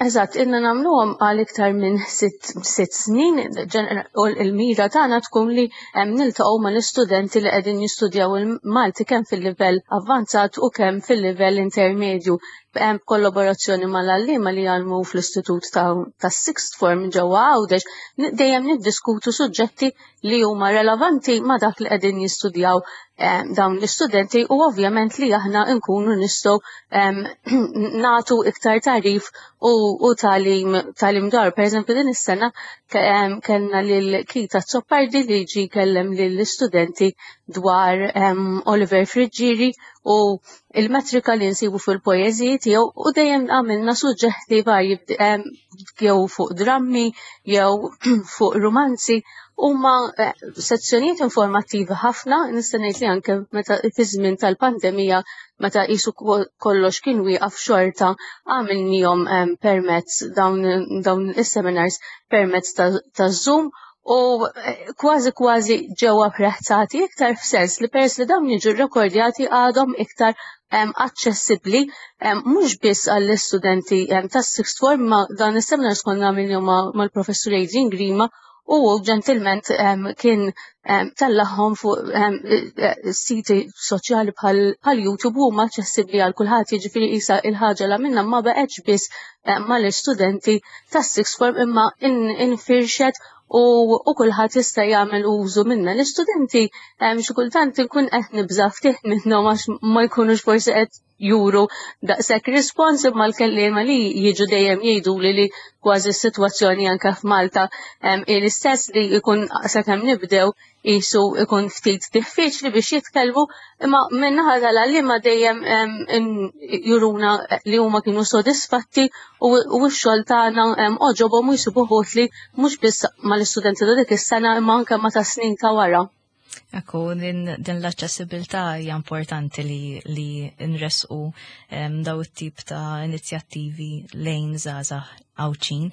Eżatt, inna nagħmluhom għal iktar minn sitt snin, u l-mira tagħna tkun li niltaqgħu mal-istudenti li qegħdin jistudjaw il-Malti kemm fil-livell avvanzat u kemm fil-livell intermedju b'kollaborazzjoni mal-għalliema li jgħallmu fl-istitut tas-sixth form ġewwa Għawdex, dejjem niddiskutu suġġetti li huma relevanti ma' dak li qegħdin jistudjaw eh, dawn l-istudenti u ovvjament li aħna nkunu nistgħu ehm, nagħtu iktar tarif u, u talim talim dwar. Per eżempju din is-sena ehm, kellna lil Kita Zoppardi li ġi kellem lill-istudenti dwar ehm, Oliver Friggieri u il-metrika li nsibu fil-poeżiji tiegħu u dejjem għamilna suġġetti varji jew fuq drammi jew fuq rumanzi huma eh, sezzjonijiet informattivi ħafna, nista' ngħid li anke meta fi żmien tal-pandemija meta qisu kollox kien wieqaf xorta għamilnihom permezz dawn is-seminars permezz ta' Zoom u eh, kważi kważi ġew apprezzati iktar f'sens li peress li dawn jiġu rrekordjati għadhom iktar aċċessibbli mhux biss għall-istudenti tas-sixth form ma dan is-seminars konna għamilhom mal-professur Adrian Grima u ġentilment kien tellagħhom fuq eh, eh, siti soċjali bħal YouTube u huma aċċessibbli għal kulħadd jiġifieri qisha il-ħaġa la minna ma baqgħetx biss mal-istudenti tas-sixth form imma infirxet u, u kulħadd jista' jagħmel użu minnha. L-istudenti xi kultant inkun qed nibża' ftit minnhom għax ma jkunux forsi qed juru daqshekk rispons imma l-kelliema li jiġu dejjem jgħiduli li kważi s-sitwazzjoni anke f'Malta l-istess li jkun sakemm nibdew qisu ikun ftit diffiċli biex jitkellmu, imma min-naħa tal-għalliema dejjem juruna li huma kienu sodisfatti u x-xogħol tagħna għoġobhom u jsibuh utli mhux biss mal-istudenti ta' dik is-sena imma anke ma' ta' snin ta' wara. Ekku, din, din l-aċċessibilità hija importanti li, li nresqu um, daw it-tip ta' inizjattivi lejn żgħażagħ Għawdxin.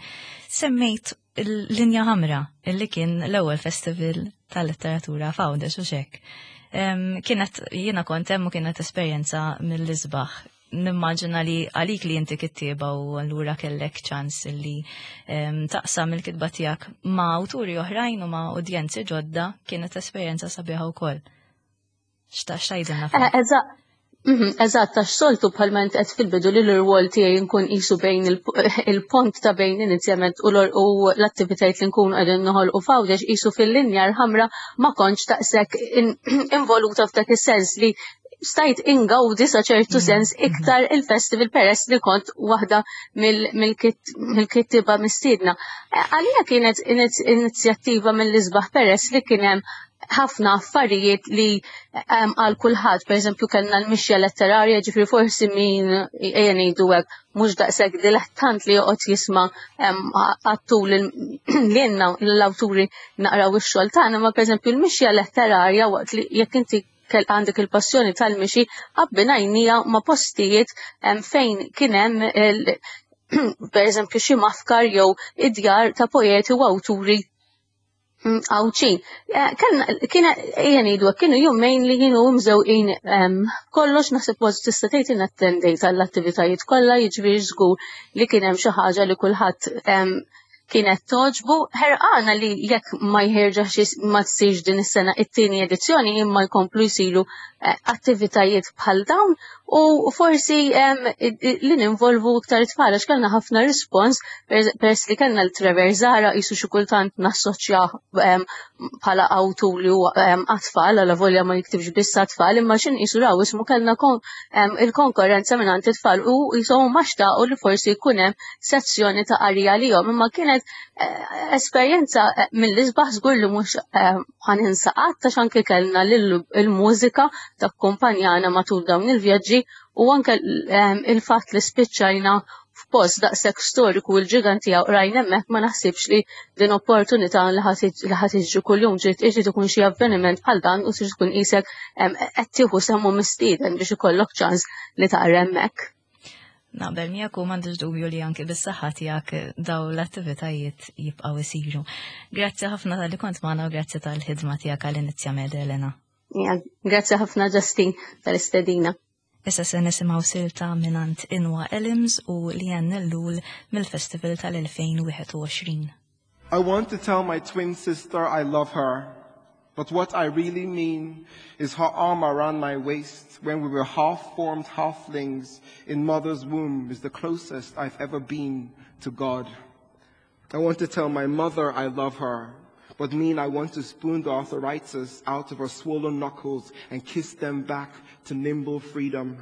Semmejt il-Linja Ħamra, illi kien l-ewwel festival tal-letteratura f'Għawdex u xek. Um, kienet jiena kont hemm u kienet esperjenza mill-isbaħ nimmaġina li għalik li inti kittieba u allura kellek ċans li taqsam il-kitba tiegħek ma' awturi oħrajn u ma' udjenzi ġodda kienet esperjenza sabiħa wkoll. X'tgħidilna fuq? Eh, eżatt. Mhm, eżatt, għax soltu bħalma int qed fil-bidu li l-irwol tiegħi nkun qisu bejn il-pont ta' bejn inizjament u l-attivitajiet li nkunu qegħdin noħolqu f'Għawdex qisu fil-linja l-ħamra ma kontx daqshekk involuta f'dak is-sens li stajt ingawdi sa ċertu mm. sens iktar il-festival peress li kont waħda mill-kittiba mistiedna. Eh, għalija kienet inizjattiva mill-isbaħ peress li kien hemm ħafna affarijiet li għal kulħadd, pereżempju kellna l-mixja letterarja, ġifri forsi min ejja ngħidu hekk mhux daqshekk dilettant li joqgħod jisma' għattul li l-awturi naqraw ix-xogħol tagħna, ma pereżempju l-mixja letterarja waqt li jekk inti kell għandek il-passjoni tal-mixi abbinajnija ma' postijiet fejn kien hemm per eżempju xi mafkar jew id-djar ta' poeti u awturi mm, Għawdxin. Eh, kien ejja ngħidu kienu jumejn li kienu mżewqin kollox naħseb kważi tista' tgħid inattendejt għall-attivitajiet kollha jiġifieri żgur li kien hemm xi ħaġa li kulħadd kienet toġbu, ħerqana li jekk ma jħerġax ma tsirx din is-sena it-tieni edizzjoni imma jkomplu jsiru eh, attivitajiet bħal dawn u forsi li ninvolvu iktar tfal għax kellna ħafna rispons peress li kellna l-Trevor Zara jisu xi kultant nassoċja bħala awtur li huwa għat-tfal għala volja ma jiktibx biss għat-tfal imma x'in qisu raw ismu kellna il-konkurrenza minn għand it-tfal u jisom ma xtaqu li forsi jkun hemm sezzjoni ta' qari għalihom imma kienet eh, esperjenza eh, mill-isbaħ żgur li mhux eh, ħaninsa qatt għax anke kellna il-mużika takkumpanjana matul dawn il-vjaġġi u anke il-fatt li spiċċajna f'post daqshekk storiku l-ġiganti rajna hemmhekk ma naħsibx li din opportunità li ħadd iġri kuljum ġiet iġri ikun xi avveniment bħal dan u trid tkun qisek qed tieħu semmu mistieden biex ikollok ċans li taqra hemmhekk. Naqbel miegħek u m'għandix dubju li anki bis-saħħa tiegħek daw l-attivitajiet jibqgħu isiru. Grazzi ħafna tal-li kont magħna u grazzi tal-ħidma tiegħek għal Inizjamed Elena. Grazzi ħafna Justin tal-istedina. Issa se nisimgħu silta minant Inwa Elims u Lian Ellul mill-Festival tal-2021. I want to tell my twin sister I love her, but what I really mean is her arm around my waist when we were half-formed halflings in mother's womb is the closest I've ever been to God. I want to tell my mother I love her, but mean I want to spoon the arthritis out of her swollen knuckles and kiss them back to nimble freedom.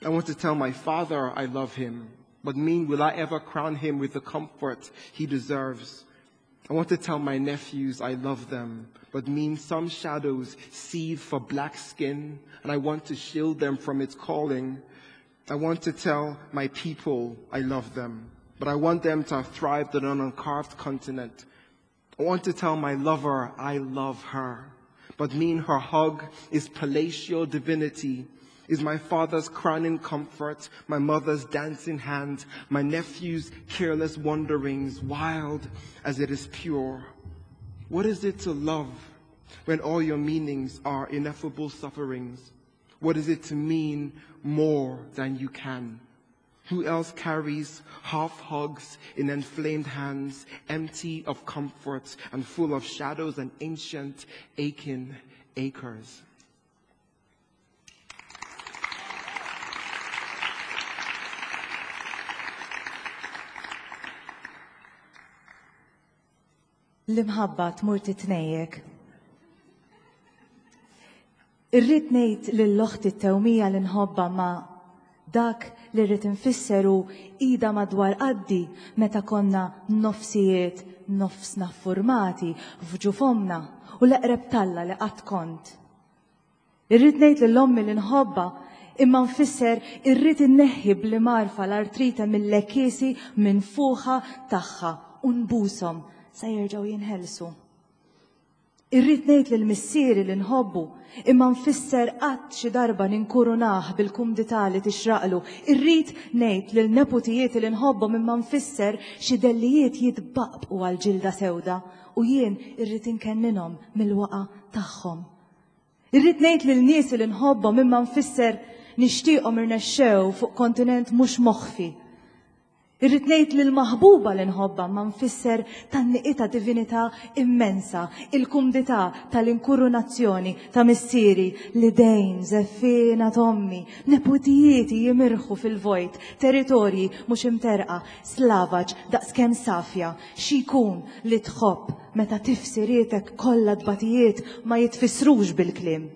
I want to tell my father I love him, but mean will I ever crown him with the comfort he deserves? I want to tell my nephews I love them, but mean some shadows seethe for black skin, and I want to shield them from its calling. I want to tell my people I love them, but I want them to have thrived on an uncarved continent. I want to tell my lover I love her, but mean her hug is palatial divinity, is my father's crowning comfort, my mother's dancing hand, my nephew's careless wanderings, wild as it is pure. What is it to love when all your meanings are ineffable sufferings? What is it to mean more than you can? Who else carries half hugs in enflamed hands, empty of comforts and full of shadows and ancient aching acres? L-imħabba tmur titnejjek. Irrid ngħid lil oħti t-tewmija li nħobbha ma dak li rrid infisser hu idha madwar qaddi meta konna nofsijiet nofsna ffurmati f'ġuf ommna u l-eqreb t'Alla li qatt kont. Irrid ngħid lil ommi li nħobbha imma nfisser irrid inneħħi bl-imgħarfa l-artrite mill-għekiesi minfuħa tagħha u nbushom sa jerġgħu jinħelsu. Irrid ngħid lil missieri li nħobbu, imma nfisser qatt xi darba ninkurunah bil-kumdità li tixraqlu. Irrid ngħid lil neputijieti li nħobbhom imma nfisser xi dellijiet jitbaqbqu għall-ġilda sewda u jien irrid inkenninhom mill-waqgħa tagħhom. Irrid ngħid lil niesi li nħobbhom imma nfisser nixtieqhom irnexxew fuq kontinent mhux moħfi. Irrid ngħid lill-maħbuba li nħobbha ma nfisser tgħanniqitha divinità immensa, il-kumdità tal-inkurunazzjoni ta' missieri, l-idejn żeffiena t'ommi, neputijieti jimirħu fil-vojt, territorji mhux imterrqa, slavaġ daqskemm safja. Xi jkun li tħobb meta tifsirietek kollha tbatijiet ma jitfissrux bil-kliem?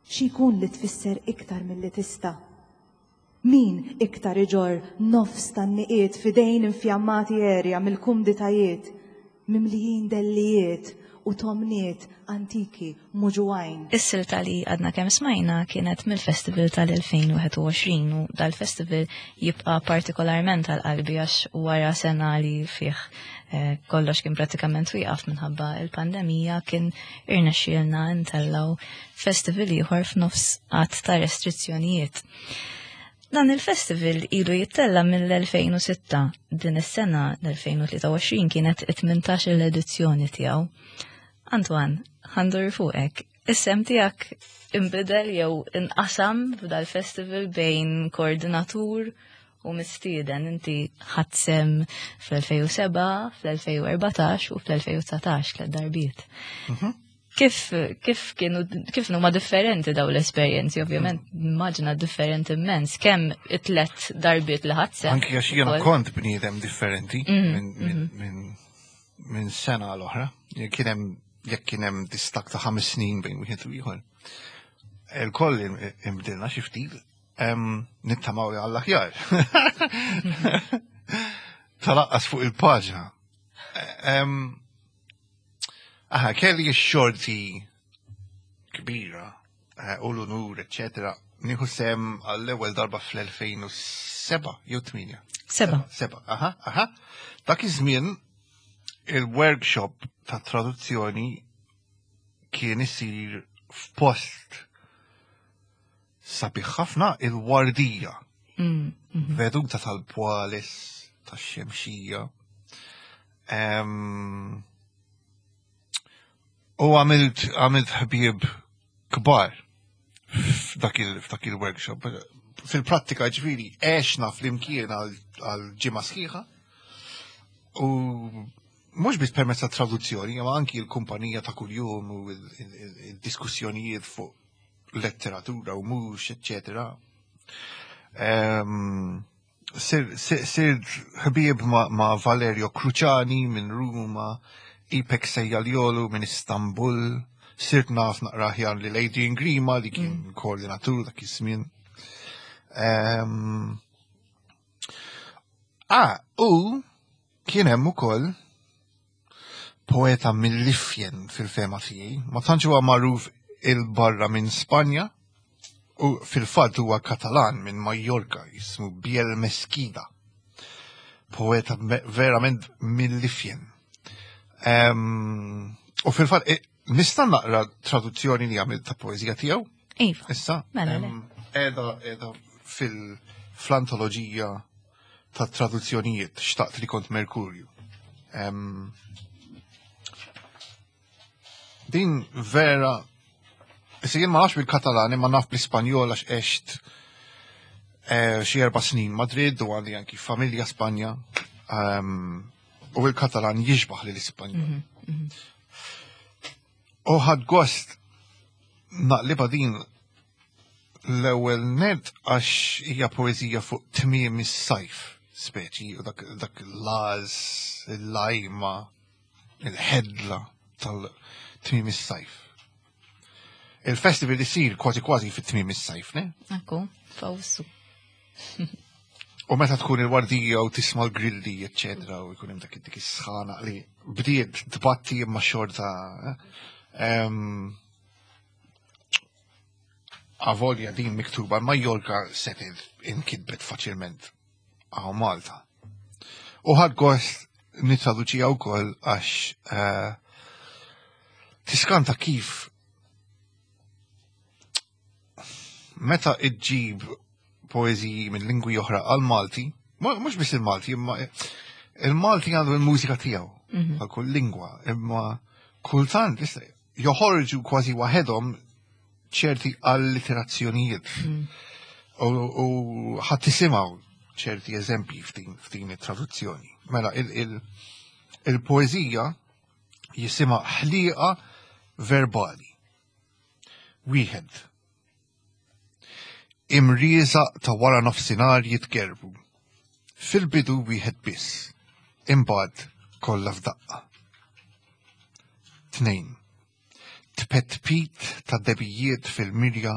Xi jkun li tfisser iktar milli tista'? Min iktar iġorr nofs tan-niqiet f'idejn infjammati għerja mill-kumditajiet, mimlijin dellijiet u tomniet antiki muġugħin? Is-silta li għadna kemm smajna kienet mill-festival tal-2021 u dal-festival jibqa' partikolarment għal qalbi għax wara sena li fih eh, kollox kien pratikament wieqaf minħabba il-pandemija kien irnexxielna ntellgħu festival ieħor f'nofs għadd ta' restrizzjonijiet. Dan il-festival ilu jittella mill-2006, din is-sena l-2023 kienet it-18 l-edizzjoni tiegħu. Antoine, ħandur fuqek, is-sem tiegħek inbidel jew inqasam f'dal-festival bejn koordinatur u mistieden inti ħadt sem fl-2007, fl-2014 u fl-2019 tliet darbiet. Mhm. Kif kif kienu kif huma differenti daw l-esperjenzi, ovvjament immaġina differenti immens, kemm it-tlet darbiet li ħadd sem. Anki għax jiena kont bniedem differenti mhm, mhm. minn sena l-oħra. Kien hemm jekk kien hemm distak ta' ħames snin bejn wieħed u ieħor. Il-koll imbdilna xi ftit nittamaw li għall-aħjar. Talaqqas fuq il-paġna. Aha, kelli x-xorti kbira eh, u l-unur, eccetera, nieħu sem għall-ewwel darba fl-2007 jew 8. Seba. Seba, aha, aha. Dak iż-żmien il-workshop ta' traduzzjoni kien isir f'post sabiħ ħafna il-wardija. Mm, mhm. Veduta tal-pwalis, tax-xemxija. U għamilt għamilt ħbieb kbar f'dak il-workshop. Fil-prattika ġifieri għexna flimkien għal ġimgħa sħiħa u mhux biss permezz ta' traduzzjoni, imma anki l-kumpanija ta' kuljum u il-diskussjonijiet fuq letteratura u mhux, eċċetera. Ehm, Sir ħbieb ma' Valerio Cruciani minn Ruma, Ipek Sejjaljolu minn Istanbul, sirt naf naqra aħjar li Adrian Grima li kien mm. koordinatur dak iż-żmien. Ehm, ah, u kien hemm ukoll poeta mill-ifjen fil-fema tiegħi, ma tantx huwa magħruf il-barra minn Spanja u fil-fatt huwa Katalan minn Majorka jismu Biel Mesquida. Poeta verament mill-ifjen. U fil-fatt e, nista' naqra traduzzjoni li għamilt ta' poeżija tiegħu? Iva. Issa? Mela, Eda, eda fil-antoloġija ta' traduzzjonijiet xtaqt li kont Merkurju. Um, din vera, issa jien ma nafx bil-Katalan imma naf bl-Ispanjol għax għext eh, xi erba' snin Madrid u għandi anki familja Spanja. Um, u il-Katalan jixbaħ li l-Ispanjol. Mm -hmm. U ħad gost naqliba din L-ewwel nett għax hija poeżija fuq tmiem is-sajf, speċi, u dak, dak l-għaż, il-lajma, il-ħedla tal-tmiem is-sajf. Il-festival isir kważi kważi fit-tmiem is-sajf, ne? Akku, fawsu. U meta tkun il-wardija u tisma' l-grilli, eċċetera, u jkun hemm dak dik is-sħana li bdiet tbatti imma xorta. Eh? Avolja din miktuba Majorka setgħet inkitbet faċilment għaw Malta. U ħad gost nitraduċija wkoll għax eh, Tiskanta kif meta iġġib poeżiji minn lingwi oħra għal Malti, mhux biss il-Malti, imma il-Malti għandu l-mużika tiegħu mhm. għal kull lingwa, imma kultant joħorġu kważi waħedhom ċerti alliterazzjonijiet. Mhm. U ħadd tisimgħu ċerti eżempji f'din it-traduzzjoni. Mela il-poeżija jisimha ħliqa verbali. Wieħed. Imrieżaq ta' wara nofsinhar jitgerbu. Fil-bidu wieħed biss, imbagħad kollha f'daqqa. Tnejn. Tpetpit ta' debijiet fil-mirja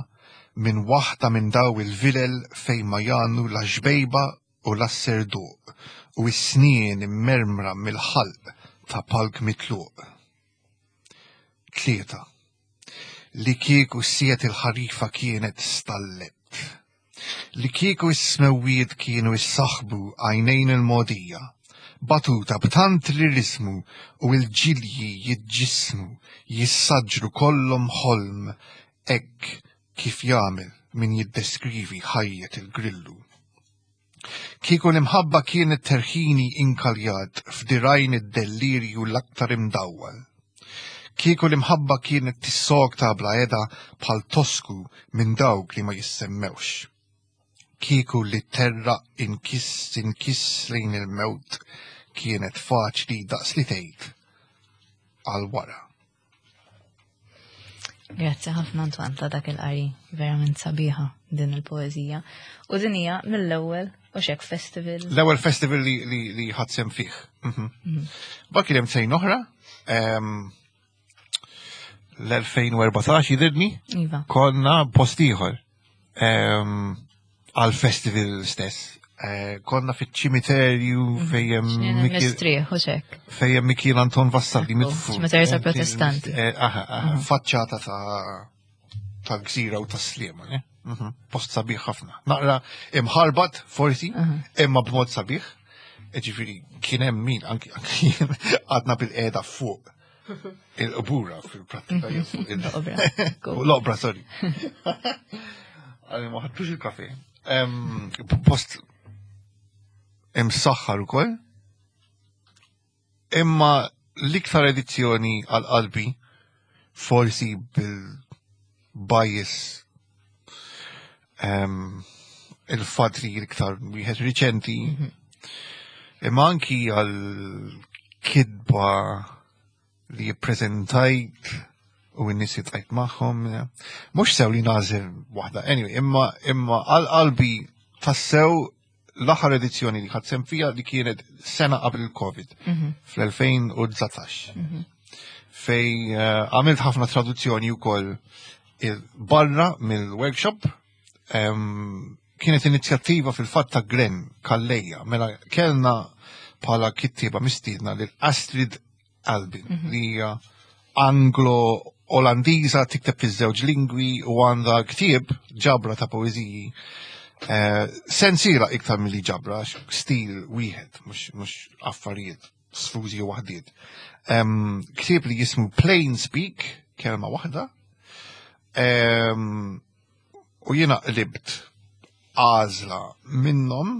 minn waħda minn daw il-vilel fejn ma jagħnu la xbejba u la serduq u s-snien immermra mill-ħalq ta' palk mitluq. 3. Li kieku siet il-ħarifa kienet stallet. Li kieku s-smewwiet kienu issaħbu għajnejn il-mogħdija, batuta b'tant lirismu u l-ġilji jiġġissmu, jissaġġru kollhom ħolm hekk kif jagħmel min jiddeskrivi ħajjet il-grillu. Kieku l-imħabba kienet terħini inkaljat f'dirajn id-dellirju l-aktar imdawwal. Kieku l-imħabba kienet tissokta bla heda bħal tosku minn dawk li ma jissemmewx. Kieku li terraq inkiss inkiss lejn il-mewt kienet faċli daqs li tgħid għal wara. Grazzi ħafna Antoine ta' dak il-qari, verament sabiħa din il-poeżija. U din hija mill-ewwel u xek festival. L-ewwel festival li li, li ħadd fih. Mhm. Bak kien hemm sejn oħra, l-2014 jidirni, iva. konna post ieħor. Għal festival stess. Eh, konna fiċ-ċimiterju mhm. fejjem. Fejjem Mikiel Anton Vassalli mitfu. Ċimiterju ta' protestanti. Eh, mhm. Faċċata ta' ta' gżira u ta' slima. Eh? Mhm. Post sabiħ ħafna. Naqra imħarbat forsi, imma b'mod sabiħ. Ġifieri kien hemm min anki għadna bil-qiegħda fuq Il-qbura fil-prattika L-obra. L-obra, sorry. Għalli ma ħadtux il-kafe. Post imsaħħar ukoll. Imma l-iktar edizzjoni għal qalbi forsi bil-bias il-fatt li l-iktar wieħed riċenti mhm. imma anki għal kidba li jippreżentajt u n-nies jitqajt magħhom. Mhux sew li nażel waħda, anyway, imma imma għal qalbi tassew l-aħħar edizzjoni li ħadd sem fija li kienet sena qabel il-Covid mhm. fl-2019. Mhm. Fej eh, għamilt ħafna traduzzjoni wkoll barra mill-workshop kienet inizjattiva fil-fatt ta' Glenn Kalleja, mela kellna bħala kittieba mistiedna lil Astrid Albin mhm. li hija Anglo-Olandiża tikteb fiż-żewġ lingwi u għandha ktieb ġabra ta' poeżiji eh, sensiela iktar milli ġabra, stil wieħed, mhux affarijiet sfużi u waħdiet. Ktieb li jismu Plain Speak, kelma waħda, u jiena qlibt għażla minnhom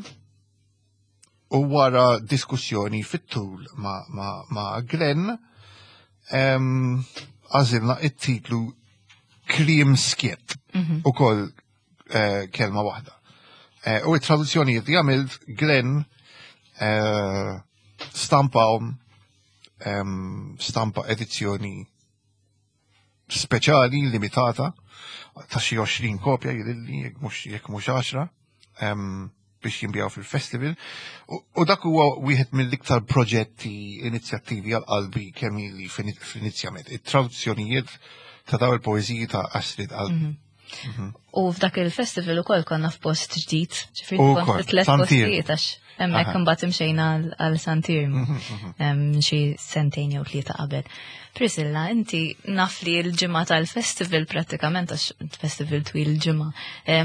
u wara diskussjoni fit-tul ma, ma, ma Glenn għażilna it-titlu Kliem Skiet mm -hmm. u koll eh, kelma waħda. Eh, u it-traduzzjonijiet li għamilt Glenn eh, stampahom stampa edizzjoni speċjali limitata ta' xi 20 kopja jidilli jekk mhux 10 biex jinbjaw fil-festival. U dak huwa wieħed mill-iktar proġetti inizjattivi għal qalbi kemm ili fl-inizjament. It-traduzzjonijiet ta' daw il-poeżiji ta' Astrid Albi. Mhm. Mhm. U f'dak il-festival ukoll konna f'post ġdid, ġifieri kont tliet postijiet għax hemmhekk imbagħad imxejna għal Santirm mhm, mhm. xi sentejn jew tlieta qabel. Priscilla, inti naf li l-ġimgħa tal-festival prattikament għax festival twil ġimgħa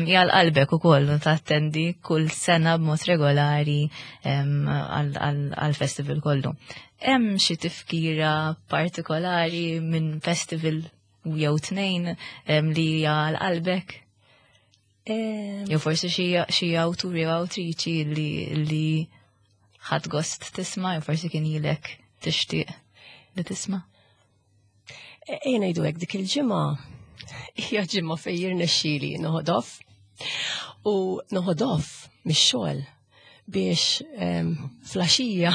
hija qalbek ukoll u tattendi kull sena b'mod regolari għall-festival kollu. Hemm xi tifkira partikolari minn festival jew tnejn li hija għal qalbek? Jew forsi xi awtur jew awtriċi li li ħadd gost tisma' jew forsi kien ilek tixtieq li tisma'? Ejja ngħidu hekk dik il-ġimgħa hija ġimgħa fejn jirnexxieli noħodof u noħodof mix-xogħol biex flaxija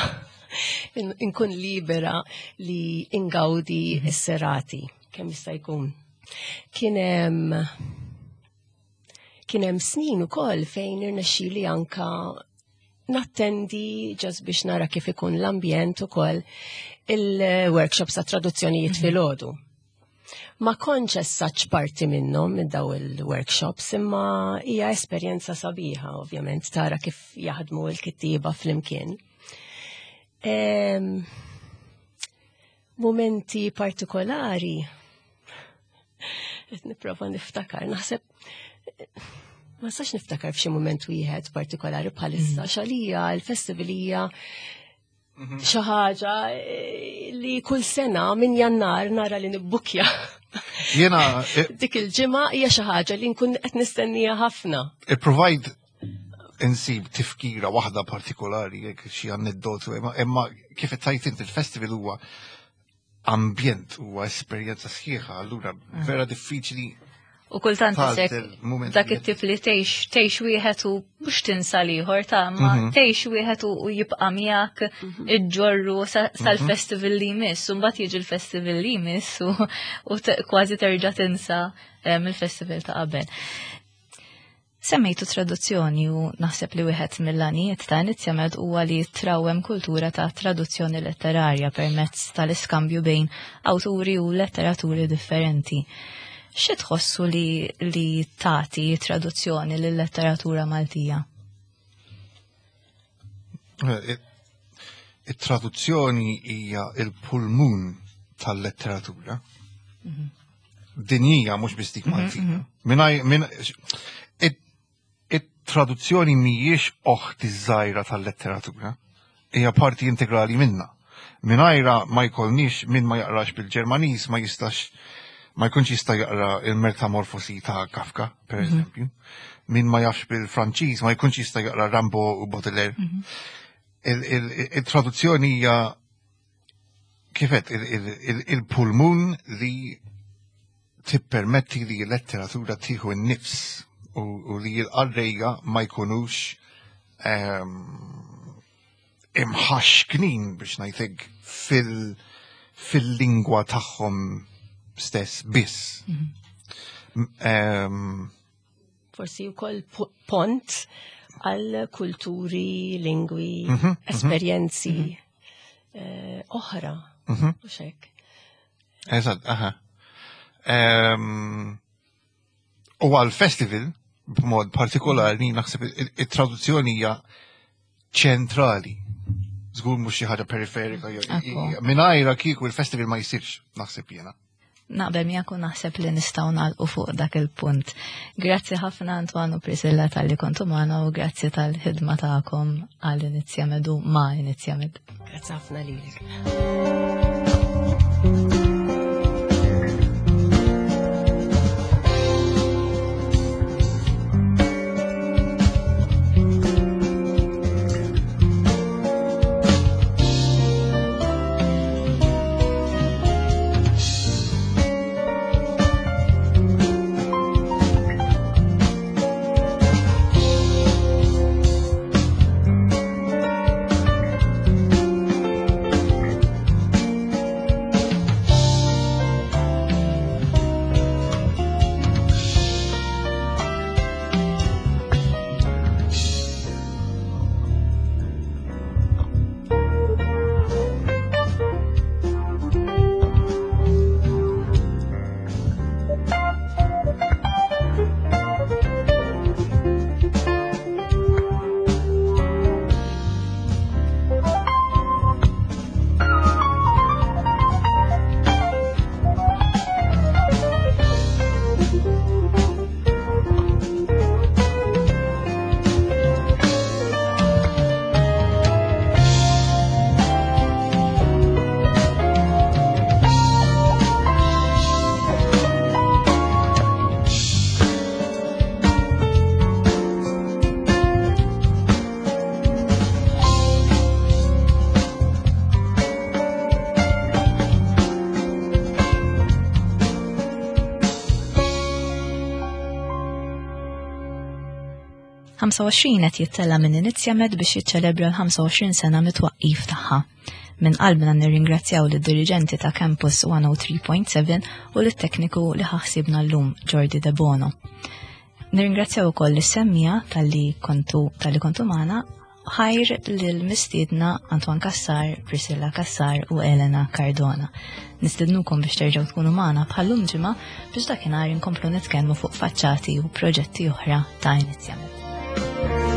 inkun libera li ingawdi s-serati kemm jista' jkun. Kien hemm kien hemm snin ukoll fejn irnexxieli anka nattendi ġas biex nara kif ikun l-ambjent ukoll il-workshops ta' traduzzjonijiet filgħodu. Ma kontx as such parti minnhom minn daw il-workshops, imma hija esperjenza sabiħa ovvjament tara kif jaħdmu l-kittieba flimkien. Momenti partikolari qed nipprova niftakar, naħseb ma nistax niftakar f'xi mument wieħed partikolari bħalissa, xalija l-festival hija xi ħaġa li kull sena minn Jannar nara li nibbukja. Jiena dik il-ġimgħa hija xi ħaġa li nkun qed nistennija ħafna. Ipprovajt insib tifkira waħda partikolari, jekk xi aneddotu, imma kif qed tgħid inti il-festival huwa ambjent, huwa esperjenza sħiħa, allura vera diffiċli. U kultant Tgħażel isek moment dak li it-tip li tgħix wieħed u mhux tinsa l-ieħor ta' ma tgħix wieħed u jibqa' miegħek iġġorru sal-festival li jmiss, u mbagħad jiġi l-festival li jmiss u kważi terġa' tinsa il-festival ta' qabel. Semmejtu traduzzjoni u naħseb li wieħed mill-għanijiet ta' Inizjamed huwa li trawwem kultura ta' traduzzjoni letterarja permezz tal-iskambju bejn awturi u letteraturi differenti. Xi tħossu li tagħti traduzzjoni lil-letteratura Maltija? It-traduzzjoni hija il-pulmun tal-letteratura. Dinjija mhux biss dik Maltija. It-traduzzjoni mhijiex oħti żgħira tal-letteratura, hija parti integrali minna. Mingħajra ma jkollniex min ma jaqrax bil-Ġermaniż ma jistax ma jkunx jista' jaqra il-Metamorfosi ta' Kafka, per eżempju. Min ma jafx bil-Franċiż ma jkunx jista' jaqra Rimbaud u Baudelaire. Il-traduzzjoni hija kifet il-pulmun li tippermetti li l-letteratura tieħu n-nifs u li l-qarrejja ma jkunux imħaxknin biex ngħidlek fil-lingwa tagħhom stess biss. Forsi wkoll pont għal kulturi, lingwi, esperjenzi oħra. Mhux hekk. Eżatt, aha. U għal festival, b'mod partikolari, naħseb it-traduzzjoni hija ċentrali. Żgur mhux xi ħaġa periferika jew mingħajra kieku il-festival ma jsirx, naħseb jiena. Naqbel miegħek u naħseb li nistgħu nagħlqu fuq dak il-punt. Grazzi ħafna Antoine u Priscilla talli kontu magħna u grazzi tal-ħidma tagħkom għal Inizjamed u ma' Inizjamed. Grazzi ħafna lilek. 25 qed jittella minn Inizjamed biex jiċċelebra l-25 sena mit-twaqqif tagħha. Minn qalbna nirringrazzjaw lid-diriġenti ta' Campus 103.7 u lit-tekniku li ħaħsibna llum Jordi De Bono. Nirringrazzjaw ukoll lis-semmija talli kontu talli kontu magħna ħajr lil-mistiedna Antoine Cassar, Priscilla Cassar u Elena Cardona. Nistednukom biex terġgħu tkunu magħna bħallum ġimgħa biex dakinhar inkomplu nitkellmu fuq faċċati u proġetti oħra ta' Inizjamed.